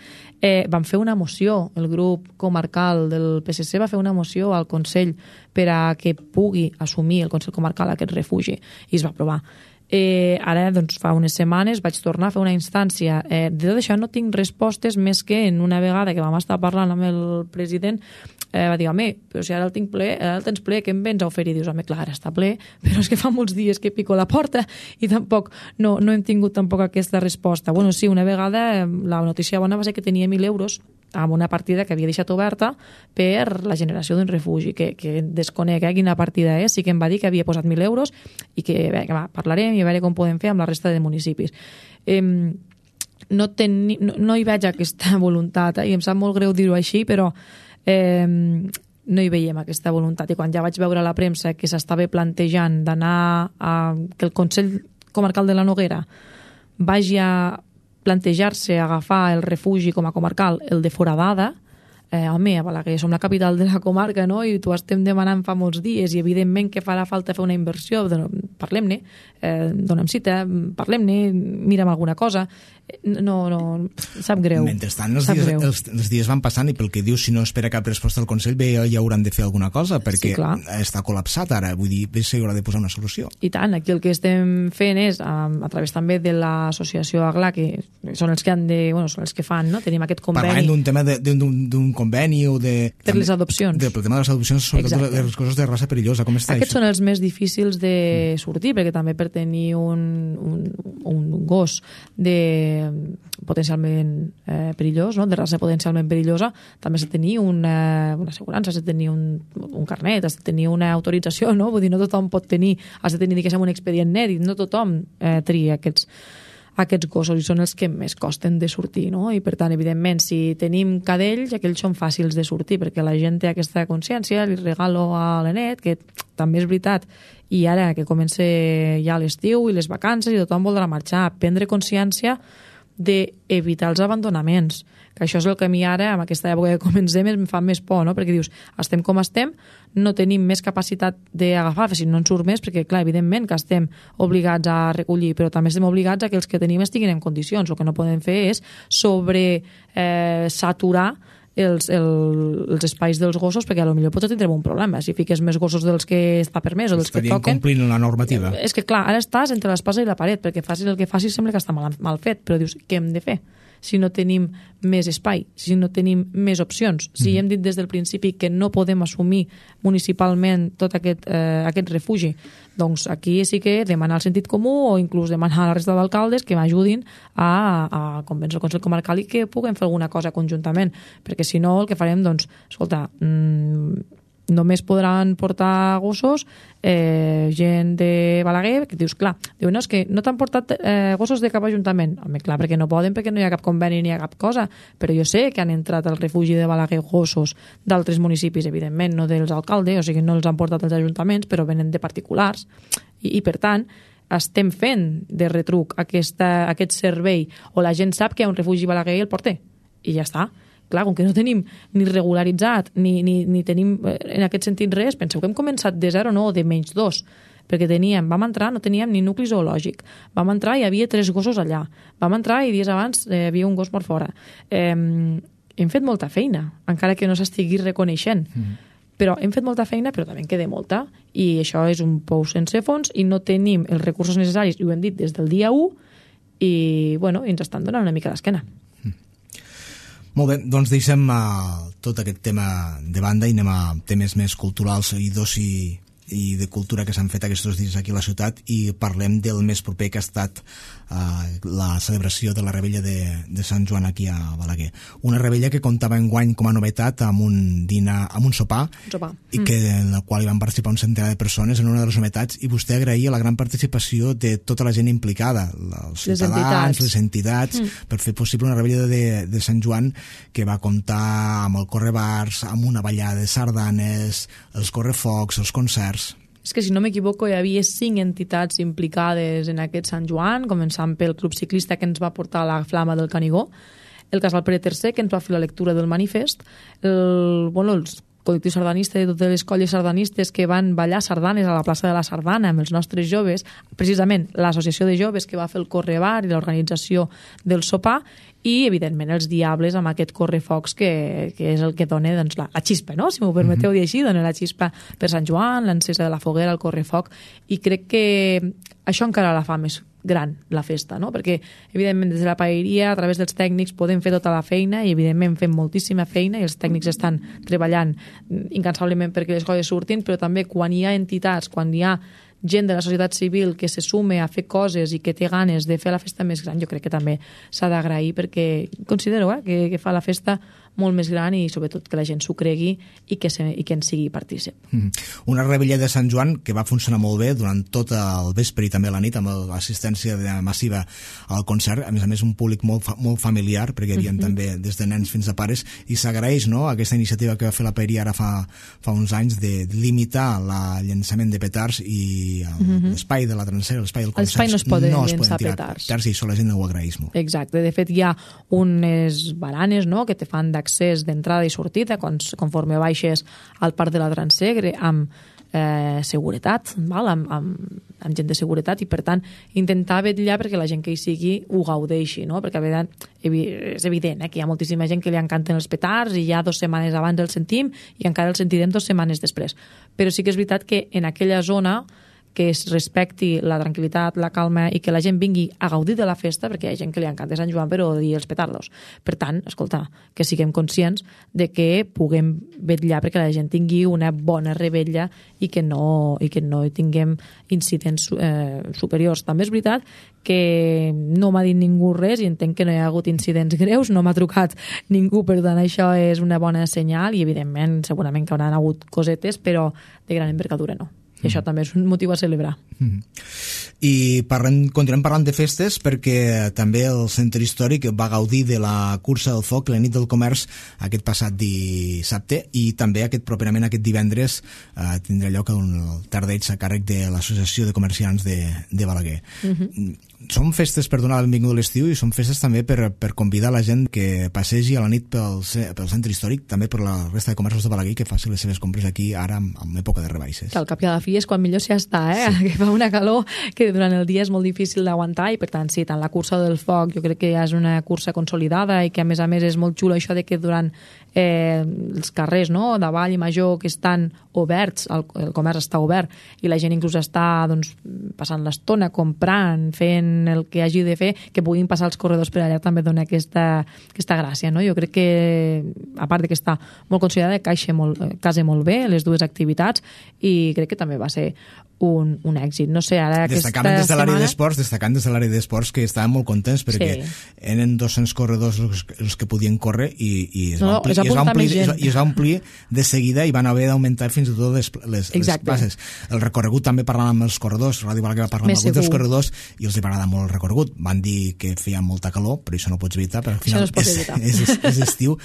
Vam fer una moció, el grup comarcal del PSC va fer una moció al Consell per a que pugui assumir el Consell Comarcal aquest refugi i es va aprovar. Ara, doncs, fa unes setmanes vaig tornar a fer una instància. De tot això no tinc respostes més que en una vegada que vam estar parlant amb el president va dir, home, però si ara el tinc ple, ara el tens ple, què em vens a oferir? Dius, home, clar, ara està ple, però és que fa molts dies que pico la porta i tampoc no hem tingut tampoc aquesta resposta. Bueno, sí, una vegada la notícia bona va ser que tenia 1.000 euros amb una partida que havia deixat oberta per la generació d'un refugi, que desconec quina partida és. Sí que em va dir que havia posat 1.000 euros i que parlarem i a veure com podem fer amb la resta de municipis. No hi veig aquesta voluntat, i em sap molt greu dir-ho així, però no hi veiem aquesta voluntat. I quan ja vaig veure a la premsa que s'estava plantejant d'anar que el Consell Comarcal de la Noguera vagi a plantejar-se agafar el refugi com a comarcal, el de Foradada, home, a Balaguer som la capital de la comarca, no? I t'ho estem demanant fa molts dies i evidentment que farà falta fer una inversió. Parlem-ne, donem cita, parlem-ne, mira'm alguna cosa. No, sap greu. Mentrestant, els dies van passant i pel que dius, si no espera cap resposta del Consell, bé, ja hauran de fer alguna cosa, perquè està col·lapsat ara, vull dir, bé, s'hi haurà de posar una solució. I tant, aquí el que estem fent és, a través també de l'associació AGLA, que són els que són els que fan, no? Tenim aquest conveni. Parlem d'un tema d'un conveni o de... Per les adopcions. Del tema de les adopcions, sobretot de les coses de raça perillosa, com està Aquests són els més difícils de sortir, perquè també per tenir un gos potencialment perillós, no? De raça potencialment perillosa, també has de tenir una assegurança, has de tenir un carnet, has de tenir una autorització, no? Vull dir, no tothom pot tenir, has de tenir, diguéssim, un expedient nèrit, no tothom tria aquests gossos i són els que més costen de sortir, no? I per tant, evidentment, si tenim cadells, aquells són fàcils de sortir, perquè la gent té aquesta consciència, li regalo a l'Anet, que també és veritat, i ara que comença ja l'estiu i les vacances i tothom voldrà marxar, prendre consciència d'evitar els abandonaments, que això és el que a mi ara, en aquesta època que comencem, em fa més por, no? Perquè dius, estem com estem, no tenim més capacitat d'agafar, si no en surt més, perquè, clar, evidentment que estem obligats a recollir, però també estem obligats a que els que tenim estiguin en condicions. El que no podem fer és saturar els espais dels gossos, perquè potser potser tindrem un problema. Si fiques més gossos dels que està permès o dels que toquen... complint la normativa. És que, clar, ara estàs entre l'espasa i la paret, perquè facis el que facis sembla que està mal fet, però dius, què hem de fer? Si no tenim més espai, si no tenim més opcions, si hem dit des del principi que no podem assumir municipalment tot aquest refugi, doncs aquí sí que demanar el sentit comú o inclús demanar a la resta d'alcaldes que m'ajudin a convèncer el Consell Comarcal i que puguem fer alguna cosa conjuntament, perquè si no el que farem, doncs, escolta, només podran portar gossos gent de Balaguer, que dius, clar, diu, no, és que no t'han portat gossos de cap ajuntament. Home, clar, perquè no poden, perquè no hi ha cap conveni ni hi ha cap cosa, però jo sé que han entrat al refugi de Balaguer gossos d'altres municipis, evidentment, no dels alcaldes, o sigui, no els han portat els ajuntaments, però venen de particulars, i per tant, estem fent de retruc aquest servei, o la gent sap que hi ha un refugi Balaguer i el porter, i ja està. Clar, com que no tenim ni regularitzat ni tenim en aquest sentit res, penseu que hem començat de 0, no, de menys 2, perquè vam entrar, no teníem ni nucli zoològic, vam entrar i hi havia 3 gossos allà, vam entrar i dies abans hi havia un gos mort fora. Hem fet molta feina, encara que no s'estigui reconeixent, però hem fet molta feina, però també en queda molta, i això és un pou sense fons i no tenim els recursos necessaris, i ho hem dit des del dia 1, i bueno, ens estan donant una mica d'esquena. Molt bé, doncs deixem tot aquest tema de banda i anem a temes més culturals i de cultura que s'han fet aquests dies aquí a la ciutat i parlem del més proper que ha estat la celebració de la Rebella de Sant Joan aquí a Balaguer. Una rebella que comptava enguany com a novetat amb un sopar i que en el qual hi van participar un centenar de persones en una de les novetats, i vostè agraïa la gran participació de tota la gent implicada, els ciutadans, les entitats, per fer possible una rebella de Sant Joan que va comptar amb el correbars, amb una ballada de sardanes, els correfocs, els concerts. És que, si no m'equivoco, hi havia 5 ents implicades en aquest Sant Joan, començant pel club ciclista que ens va portar la flama del Canigó, el Casal Pere III, que ens va fer la lectura del manifest, els col·lectius sardanistes de totes les colles sardanistes que van ballar sardanes a la plaça de la Sardana amb els nostres joves, precisament l'associació de joves que va fer el correbar i l'organització del sopar, i evidentment els diables amb aquest correfocs que és el que dona, doncs, la xispa, no? Si m'ho permeteu dir així, dona la xispa per Sant Joan, l'encesa de la foguera, el correfoc, i crec que això encara la fa més gran, la festa, no? Perquè evidentment des de la paeria, a través dels tècnics, podem fer tota la feina i evidentment fem moltíssima feina i els tècnics estan treballant incansablement perquè les coses surtin, però també quan hi ha entitats, quan hi ha gent de la societat civil que se sume a fer coses i que té ganes de fer la festa més gran, jo crec que també s'ha d'agrair, perquè considero que fa la festa molt més gran i sobretot que la gent s'ho cregui i que en sigui partícip. Una revetlla de Sant Joan que va funcionar molt bé durant tot el vespre i també la nit, amb l'assistència massiva al concert, a més un públic molt familiar, perquè hi havia també des de nens fins a pares, i s'agraeix, no?, aquesta iniciativa que va fer la Paeria ara fa uns anys de limitar el llançament de petards i l'espai de la transera, l'espai del concert, no es poden llançar petards, i això la gent ho agraeix molt. Exacte, de fet hi ha unes baranes, no?, que te fan d'accés d'entrada i sortida conforme baixes al parc de la Transegre amb seguretat, amb gent de seguretat, i per tant intentar vetllar perquè la gent que hi sigui ho gaudeixi, no? Perquè és evident que hi ha moltíssima gent que li encanten els petards i ja 2 setmanes abans el sentim i encara el sentirem 2 setmanes després, però sí que és veritat que en aquella zona que es respecti la tranquil·litat, la calma i que la gent vingui a gaudir de la festa, perquè hi ha gent que li encanta Sant Joan però odia els petardos. Per tant, escolta, que siguem conscients de que puguem vetllar perquè la gent tingui una bona revetlla i que no tinguem incidents superiors. També és veritat que no m'ha dit ningú res i entenc que no hi ha hagut incidents greus, no m'ha trucat ningú, per tant això és una bona senyal i evidentment segurament que hauran hagut cosetes, però de gran envergadura no. I això també és un motiu a celebrar. I continuem parlant de festes perquè també el Centre Històric va gaudir de la cursa del foc, la nit del comerç, aquest passat dissabte, i també properament aquest divendres tindrà lloc el tardeig a càrrec de l'Associació de Comerciants de Balaguer. Són festes per donar la benvinguda a l'estiu i són festes també per convidar la gent que passegi a la nit pel Centre Històric, també per la resta de comerços de Balaguer, que faci les seves compres aquí ara en època de rebaixes. Que al cap i a la fi és quan millor s'hi està, sí. Que fa una calor que durant el dia és molt difícil d'aguantar i per tant sí, tant la cursa del foc jo crec que ja és una cursa consolidada i que a més és molt xulo això de que durant els carrers, no?, de Vall i Major que estan oberts, el comerç està obert i la gent inclús està passant l'estona comprant, fent el que hagi de fer, que puguin passar els corredors per allà també dona aquesta gràcia, no? Jo crec que a part de que està molt considerada, casa molt bé les dues activitats i crec que també va ser un èxit. No sé, ara destacant des de l'àrea d'esports que estaven molt contents perquè eren 200 corredors els que podien córrer i es va omplir de seguida i van haver d'augmentar fins i tot les passes. El recorregut també parlant amb els corredors, Ràdio Balaguer va parlar amb alguns dels corredors i els va agradar molt el recorregut. Van dir que feia molta calor, però això no ho pots evitar, però al final és estiu,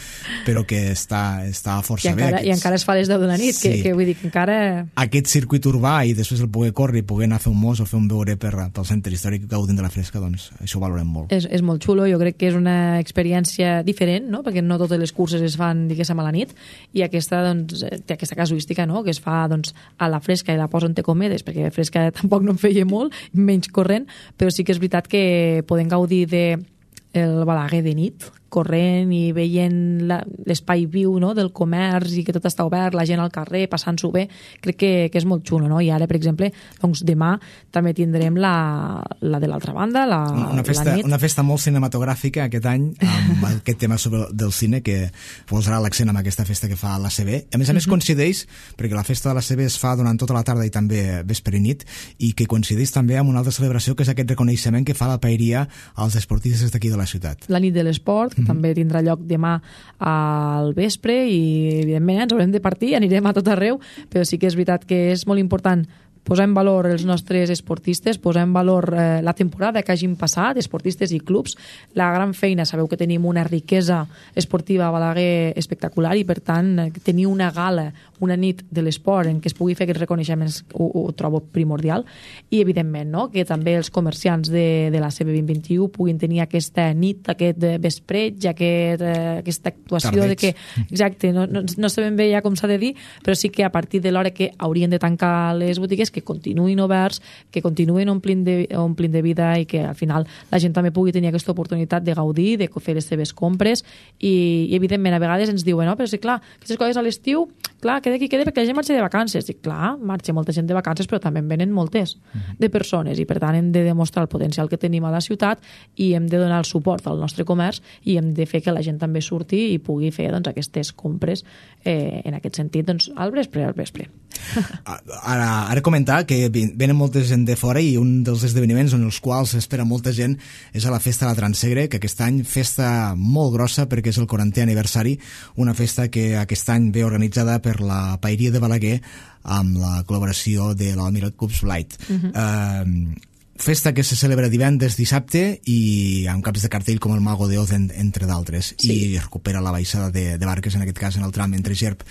però que està força bé. I encara es fa les 10 de la nit, que vull dir que encara... Aquest circuit urbà i després el poder córrer i poder anar a fer un mos o fer un beure pel Centre Històric gaudint de la fresca, doncs això ho valorem molt. És molt xulo, jo crec que és una experiència diferent, no?, perquè no totes les curses es fan, diguéssim, a la nit, i aquesta, doncs, té aquesta casuística, no?, que es fa, doncs, a la fresca i la poso entre cometes, perquè fresca tampoc no en feia molt, menys corrent, però sí que és veritat que podem gaudir del Balaguer de nit, corrent i veient l'espai viu, no?, del comerç i que tot està obert, la gent al carrer, passant-s'ho bé, crec que és molt xulo, no? I ara, per exemple, doncs demà també tindrem la de l'altra banda, la nit. Una festa molt cinematogràfica aquest any, amb aquest tema del cine que posarà l'accent amb aquesta festa que fa l'ACB. A més coincideix, perquè la festa de l'ACB es fa durant tota la tarda i també vespre i nit, i que coincideix també amb una altra celebració que és aquest reconeixement que fa la Paeria als esportistes d'aquí de la ciutat. La nit de l'esport, que també tindrà lloc demà al vespre i evidentment ens haurem de partir, anirem a tot arreu, però sí que és veritat que és molt important posar en valor els nostres esportistes, posar en valor la temporada que hagin passat, esportistes i clubs, la gran feina, sabeu que tenim una riquesa esportiva a Balaguer espectacular i per tant tenir una gala, una nit de l'esport en què es pugui fer aquests reconeixements ho trobo primordial i evidentment, no?, que també els comerciants de la CB 2021 puguin tenir aquesta nit, aquest vespreig, aquesta actuació tardeig. De que, exacte, no sabem bé ja com s'ha de dir, però sí que a partir de l'hora que haurien de tancar les botigues que continuïn oberts, que continuïn omplint de vida i que al final la gent també pugui tenir aquesta oportunitat de gaudir, de fer les seves compres i evidentment a vegades ens diuen, no, però sí, clar, aquestes coses a l'estiu, clar, queda qui queda perquè la gent marxa de vacances. I clar, marxa molta gent de vacances, però també en venen moltes de persones i per tant hem de demostrar el potencial que tenim a la ciutat i hem de donar el suport al nostre comerç i hem de fer que la gent també surti i pugui fer, doncs, aquestes compres en aquest sentit, doncs, al vespre. Ara comentar que venen molta gent de fora i un dels esdeveniments en els quals espera molta gent és a la Festa de la Transsegre, que aquest any festa molt grossa perquè és el 40è aniversari, una festa que aquest any ve organitzada per la Paeria de Balaguer amb la col·laboració de l'Almirall Cubs Light. Festa que se celebra divendres, dissabte i amb caps de cartell com el Mago de Oz, entre d'altres, i recupera la baixada de barques, en aquest cas en el tram entre Gerb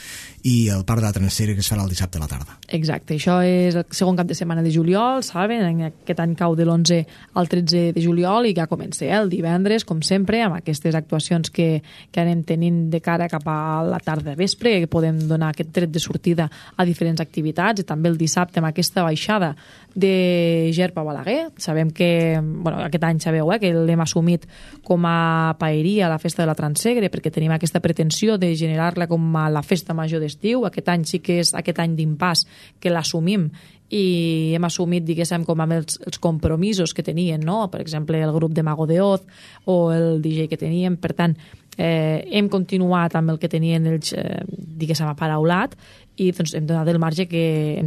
i el Parc de la Transsegre, que es farà el dissabte a la tarda. Exacte, això és el segon cap de setmana de juliol, saben? Aquest any cau de l'11 al 13 de juliol i ja comença el divendres, com sempre, amb aquestes actuacions que anem tenint de cara cap a la tarda vespre, que podem donar aquest tret de sortida a diferents activitats, i també el dissabte amb aquesta baixada de Gerb a Balaguer. Sabem que, aquest any sabeu que l'hem assumit com a paeria a la Festa de la Transsegre, perquè tenim aquesta pretensió de generar-la com a la festa major d'estiu. Aquest any sí que és aquest any d'impàs que l'assumim i hem assumit, diguéssim, com amb els compromisos que tenien, no? Per exemple, el grup de Mago de Oz o el DJ que teníem. Per tant, hem continuat amb el que tenien ells, diguéssim, aparaulat, i doncs hem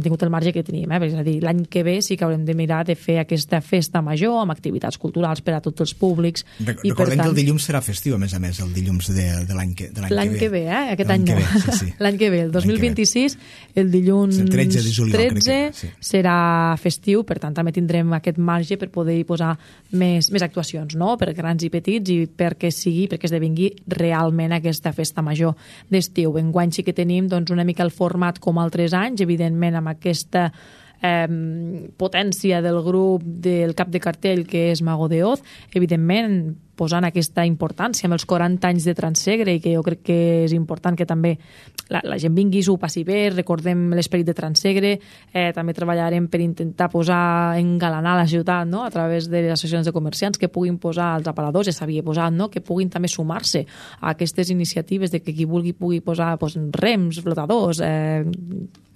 tingut el marge que teníem, és a dir, l'any que ve sí que haurem de mirar de fer aquesta festa major amb activitats culturals per a tots els públics. Recordem que el dilluns serà festiu, a més, el dilluns de l'any que ve. L'any que ve, aquest any no. L'any que ve, el 2026, el dilluns 13 de juliol, 13 serà festiu, per tant també tindrem aquest marge per poder posar més actuacions, no? Per grans i petits, i perquè esdevingui realment aquesta festa major d'estiu. Enguany sí que tenim una mica el format com altres anys, evidentment amb aquesta potència del grup del cap de cartell que és Mago de Oz, evidentment posant aquesta importància amb els 40 anys de Transsegre, i que jo crec que és important que també la gent vingui, s'ho passi bé, recordem l'esperit de Transsegre. També treballarem per intentar engalanar la ciutat, no? A través de les associacions de comerciants que puguin posar els aparadors, ja s'havia posat, no? Que puguin també sumar-se a aquestes iniciatives de que qui vulgui pugui posar rems, flotadors,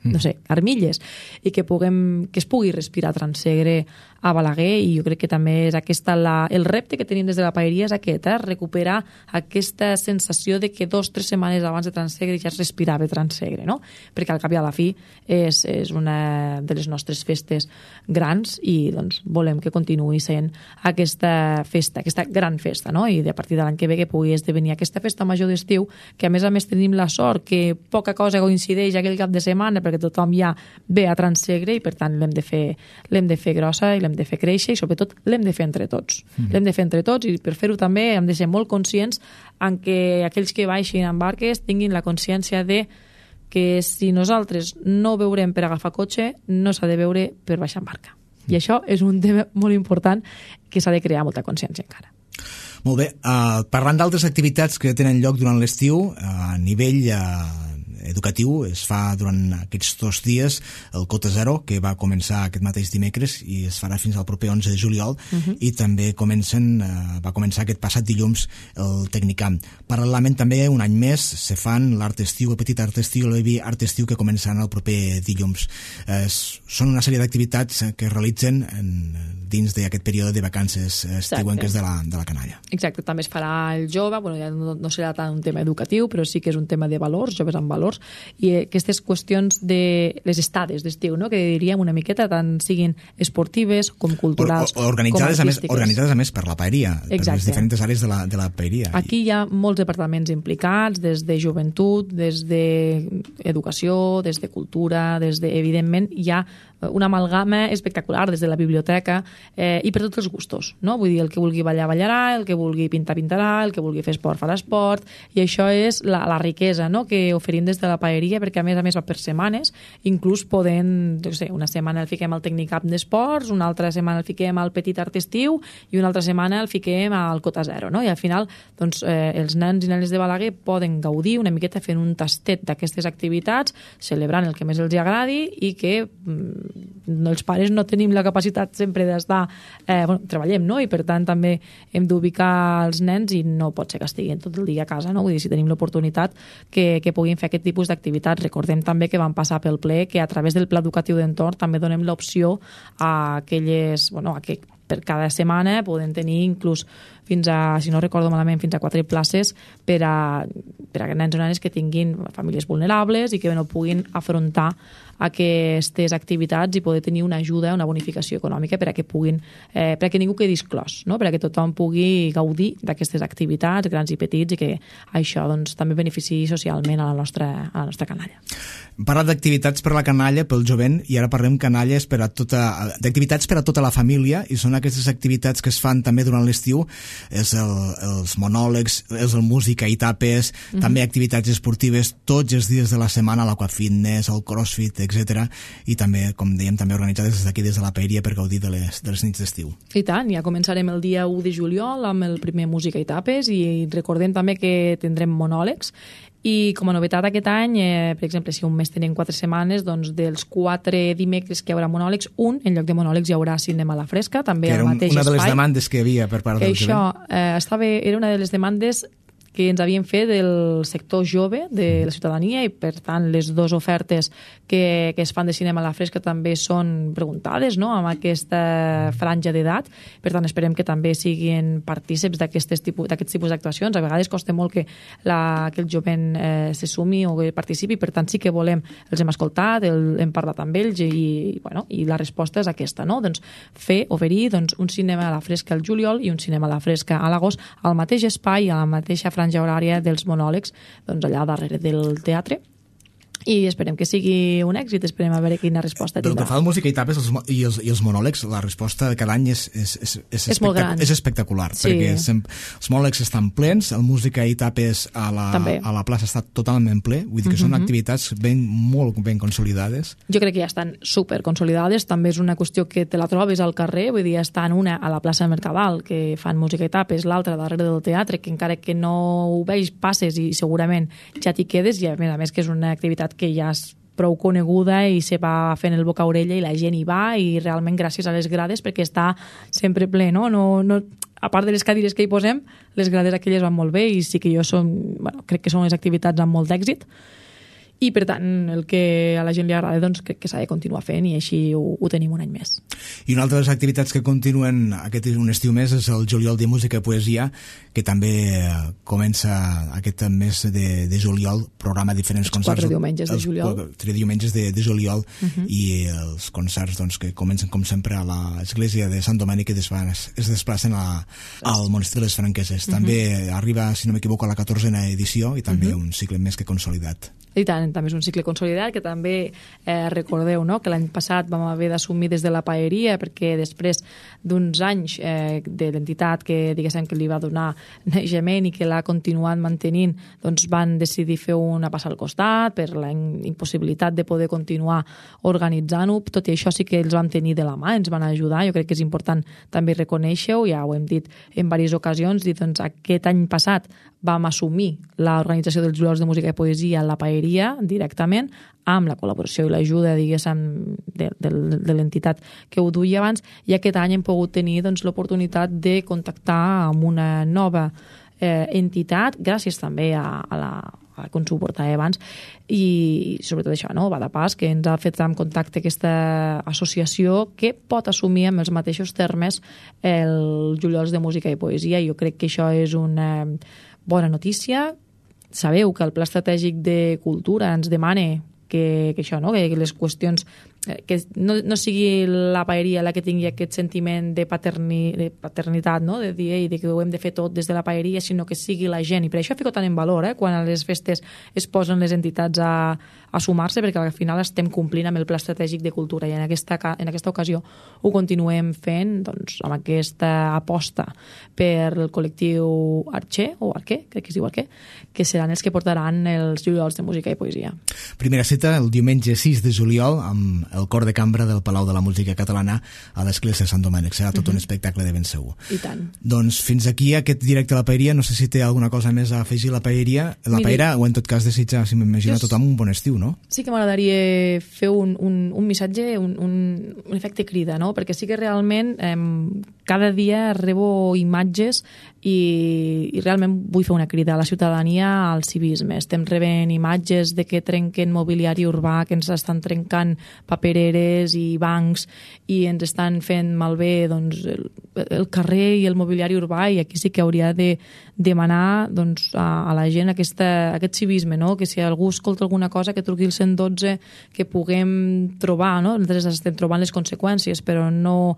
no sé, armilles, i que es pugui respirar Transsegre a Balaguer. I jo crec que també és el repte que tenim des de la paeria és aquest, recuperar aquesta sensació de que 2 o 3 setmanes abans de Transsegre ja es respirava Transsegre, no? Perquè al cap i a la fi és una de les nostres festes grans i doncs volem que continuï sent aquesta festa, aquesta gran festa, no? I a partir de l'any que ve que pugui esdevenir aquesta festa major d'estiu, que a més tenim la sort que poca cosa coincideix aquell cap de setmana perquè tothom ja ve a Transsegre, i per tant l'hem de fer grossa i l'hem de fer créixer, i sobretot l'hem de fer entre tots. L'hem de fer entre tots, i per fer-ho també hem de ser molt conscients en que aquells que baixin en barques tinguin la consciència de que si nosaltres no veurem per agafar cotxe, no s'ha de veure per baixar en barca. I això és un tema molt important que s'ha de crear molta consciència encara. Molt bé, parlant d'altres activitats que tenen lloc durant l'estiu, a nivell educatiu, es fa durant aquests 2 dies el Cota Zero, que va començar aquest mateix dimecres i es farà fins al proper 11 de juliol, i també va començar aquest passat dilluns el Tecnicamp. Paral·lelament també, un any més, se fan l'Art Estiu, el Petit Art Estiu, l'Evi Art Estiu, que començaran el proper dilluns. Són una sèrie d'activitats que es realitzen dins d'aquest període de vacances estiuenques de la canalla. Exacte, també es farà el jove, ja no serà tant un tema educatiu, però sí que és un tema de valors, joves amb valors, i aquestes qüestions de les estades d'estiu, no? Que diríem una miqueta, tant siguin esportives com culturals, organitzades, com artístiques. Organitzades a més per la paeria, Exacte. Per les diferents àrees de la paeria. Aquí hi ha molts departaments implicats, des de joventut, des d'educació, des de cultura, evidentment hi ha una amalgama espectacular des de la biblioteca, i per tots els gustos, no? Vull dir, el que vulgui ballar, ballarà, el que vulgui pintar, pintarà, el que vulgui fer esport, farà esport, i això és la riquesa, no?, que oferim des de la paeria, perquè a més va per setmanes, inclús podent, una setmana el fiquem al Tecnicamp d'esports, una altra setmana el fiquem al Petit Art Estiu, i una altra setmana el fiquem al Cota Zero, no? I al final, doncs, els nens i nenes de Balaguer poden gaudir una miqueta fent un tastet d'aquestes activitats, celebrant el que més els agradi, i que els pares no tenim la capacitat sempre d'estar, treballem, no? I per tant també hem d'ubicar els nens i no pot ser que estiguin tot el dia a casa, no? Vull dir, si tenim l'oportunitat que puguin fer aquest tipus d'activitats. Recordem també que vam passar pel ple que a través del Pla Educatiu d'Entorn també donem l'opció a aquelles, que per cada setmana poden tenir inclús fins a, si no recordo malament, fins a 4 places per a nens o nenes que tinguin famílies vulnerables i que no puguin afrontar aquestes activitats i poder tenir una ajuda, una bonificació econòmica per a que puguin, per a que ningú quedi exclòs, no? Per a que tothom pugui gaudir d'aquestes activitats, grans i petits, i que això doncs, també beneficiï socialment a la nostra canalla. Parlat d'activitats per a la canalla, pel jovent, i ara parlem canalles d'activitats per a tota la família, i són aquestes activitats que es fan també durant l'estiu, és els monòlegs, és el música i tapes, també activitats esportives tots els dies de la setmana, l'aquafitness, el crossfit, etc. I també, com dèiem, també organitzades des d'aquí, des de la Paeria, per gaudir de les nits d'estiu. I tant, ja començarem el dia 1 de juliol amb el primer música i tapes, i recordem també que tindrem monòlegs. I com a novetat aquest any, per exemple, si un mes tenim 4 setmanes, doncs dels 4 dimecres que hi haurà monòlegs, en lloc de monòlegs hi haurà cinema a la fresca, també al mateix espai. Una de les demandes que hi havia per part del jovent. Això era una de les demandes que ens havien fet del sector jove de la ciutadania, i per tant les dues ofertes que es fan de cinema a la fresca també són preguntades, no?, amb aquesta franja d'edat. Per tant, esperem que també siguin partíceps d'aquests tipus d'actuacions. A vegades costa molt que el jovent se sumi o que participi, per tant sí que volem, els hem escoltat, hem parlat amb ells, i la resposta és aquesta, no?, doncs oferir un cinema a la fresca al juliol i un cinema a la fresca a l'agost, al mateix espai, a la mateixa franja horària dels monòlegs, doncs allà darrere del teatre, i esperem que sigui un èxit, esperem a veure quina resposta tindrà. Pel que fa al música i tapes i els monòlegs, la resposta de cada any és espectacular, perquè els monòlegs estan plens, el música i tapes a la plaça està totalment ple, vull dir que són activitats molt ben consolidades. Jo crec que ja estan super consolidades, també és una qüestió que te la trobes al carrer, vull dir, estan una a la plaça Mercadal, que fan música i tapes, l'altra darrere del teatre, que encara que no ho veus, passes i segurament ja t'hi quedes, i a més que és una activitat que ja és prou coneguda i se va fent el boca a orella i la gent hi va, i realment gràcies a les grades, perquè està sempre ple, no? A part de les cadires que hi posem, les grades aquelles van molt bé, i sí que crec que són les activitats amb molt d'èxit, i per tant el que a la gent li agrada, doncs crec que s'ha de continuar fent, i així ho tenim un any més. I una altra de les activitats que continuen un estiu més és el juliol de música i poesia, que també comença aquest mes de juliol, programa diferents concerts. 4 diumenges de juliol. 3 diumenges de juliol, i els concerts que comencen com sempre a l'església de Sant Domènec, que es desplacen al monestir de les Franqueses. També arriba, si no m'equivoco, a la 14a edició, i també un cicle més que consolidat. I tant, també és un cicle consolidat, que també recordeu, no?, que l'any passat vam haver d'assumir des de la Paeria, perquè després d'uns anys de l'entitat que diguéssim que li va donar naixement i que l'ha continuat mantenint, doncs van decidir fer una passa al costat per la impossibilitat de poder continuar organitzant-ho. Tot i això sí que els vam tenir de la mà, ens van ajudar. Jo crec que és important també reconèixer-ho, ja ho hem dit en diverses ocasions, i doncs aquest any passat vam assumir l'organització dels juliol de música i poesia a la Paeria directament, amb la col·laboració i l'ajuda, diguéssim, de l'entitat que ho duia abans, i aquest any hem pogut tenir l'oportunitat de contactar amb una nova entitat, gràcies també a com s'ho portava abans, i sobretot això, no? Va de pas, que ens ha fet en contacte aquesta associació que pot assumir amb els mateixos termes el juliol de música i poesia. Jo crec que això és una bona notícia. Sabeu que el Pla Estratègic de Cultura ens demana que això, no?, que les qüestions, que no sigui la Paeria la que tingui aquest sentiment de paternitat, no?, de dir de que ho hem de fer tot des de la Paeria, sinó que sigui la gent. I per això fico tant en valor quan a les festes es posen les entitats a sumar-se, perquè al final estem complint amb el Pla Estratègic de Cultura, i en aquesta ocasió ho continuem fent amb aquesta aposta per el col·lectiu Arquer, crec que es diu Arquer, que seran els que portaran els juliols de música i poesia. Primera cita el diumenge 6 de juliol amb el cor de cambra del Palau de la Música Catalana a l'església de Sant Domènec. Serà tot un espectacle de ben segur. I tant. Doncs fins aquí aquest directe a la Paeria. No sé si té alguna cosa més a afegir la Paeria. Paeria, o en tot cas desitjar, si m'imagino, a tothom un bon estiu, no? Sí que m'agradaria fer un missatge, un efecte crida, no? Perquè sí que realment cada dia rebo imatges i realment vull fer una crida a la ciutadania al civisme. Estem rebent imatges de que trenquen mobiliari urbà, que ens estan trencant papereres i bancs i ens estan fent malbé doncs, el carrer i el mobiliari urbà, i aquí sí que hauria de demanar doncs, a la gent aquest civisme, no? Que si algú escolta alguna cosa que truqui el 112, que puguem trobar, no? Nosaltres estem trobant les conseqüències, però no,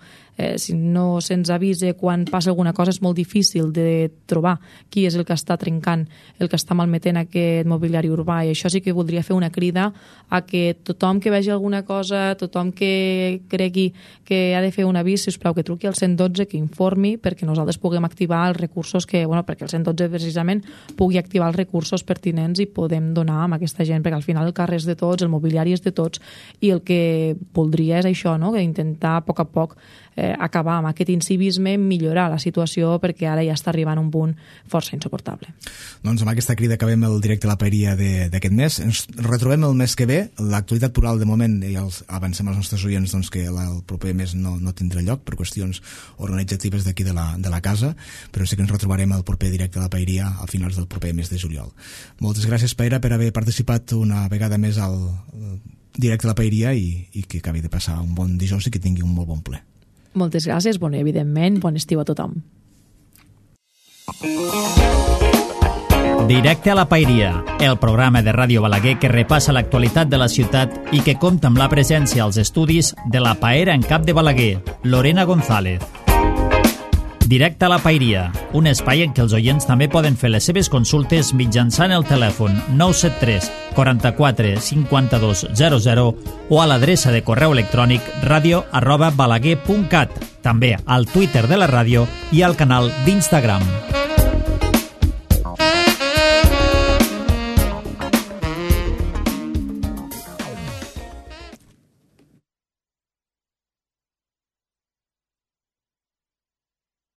si no se'ns avisa quan passa alguna cosa és molt difícil de trobar qui és el que està trencant, el que està malmetent aquest mobiliari urbà, i això sí que voldria fer una crida a que tothom que vegi alguna cosa, tothom que cregui que ha de fer un avís, sisplau, que truqui al 112, que informi, perquè nosaltres puguem activar els recursos que, bueno, perquè el 112 precisament pugui activar els recursos pertinents i podem donar amb aquesta gent, perquè al final el carrer és de tots, el mobiliari és de tots, i el que voldria és això, no? Que intentar a poc a poc acabar amb aquest incivisme, millorar la situació, perquè ara ja està arribant a un punt força insuportable. Doncs amb aquesta crida acabem el directe a la Paeria d'aquest mes. Ens retrobem el mes que ve. L'actualitat plural de moment, ja avancem als nostres oients doncs, que el proper mes no tindrà lloc per qüestions organitzatives d'aquí de la casa, però sí que ens retrobarem el proper directe a la Paeria a finals del proper mes de juliol. Moltes gràcies, Paera, per haver participat una vegada més al directe a la Paeria i que acabi de passar un bon dijous i que tingui un molt bon ple. Moltes gràcies, evidentment, bon estiu a tothom. Directe a la Paeria, el programa de Ràdio Balaguer que repassa l'actualitat de la ciutat i que compta amb la presència als estudis de la Paera en cap de Balaguer, Lorena González. Directe a la Paeria, un espai en què els oients també poden fer les seves consultes mitjançant el telèfon 973 44 52 00 o a l'adreça de correu electrònic radio@balaguer.cat, també al Twitter de la ràdio i al canal d'Instagram.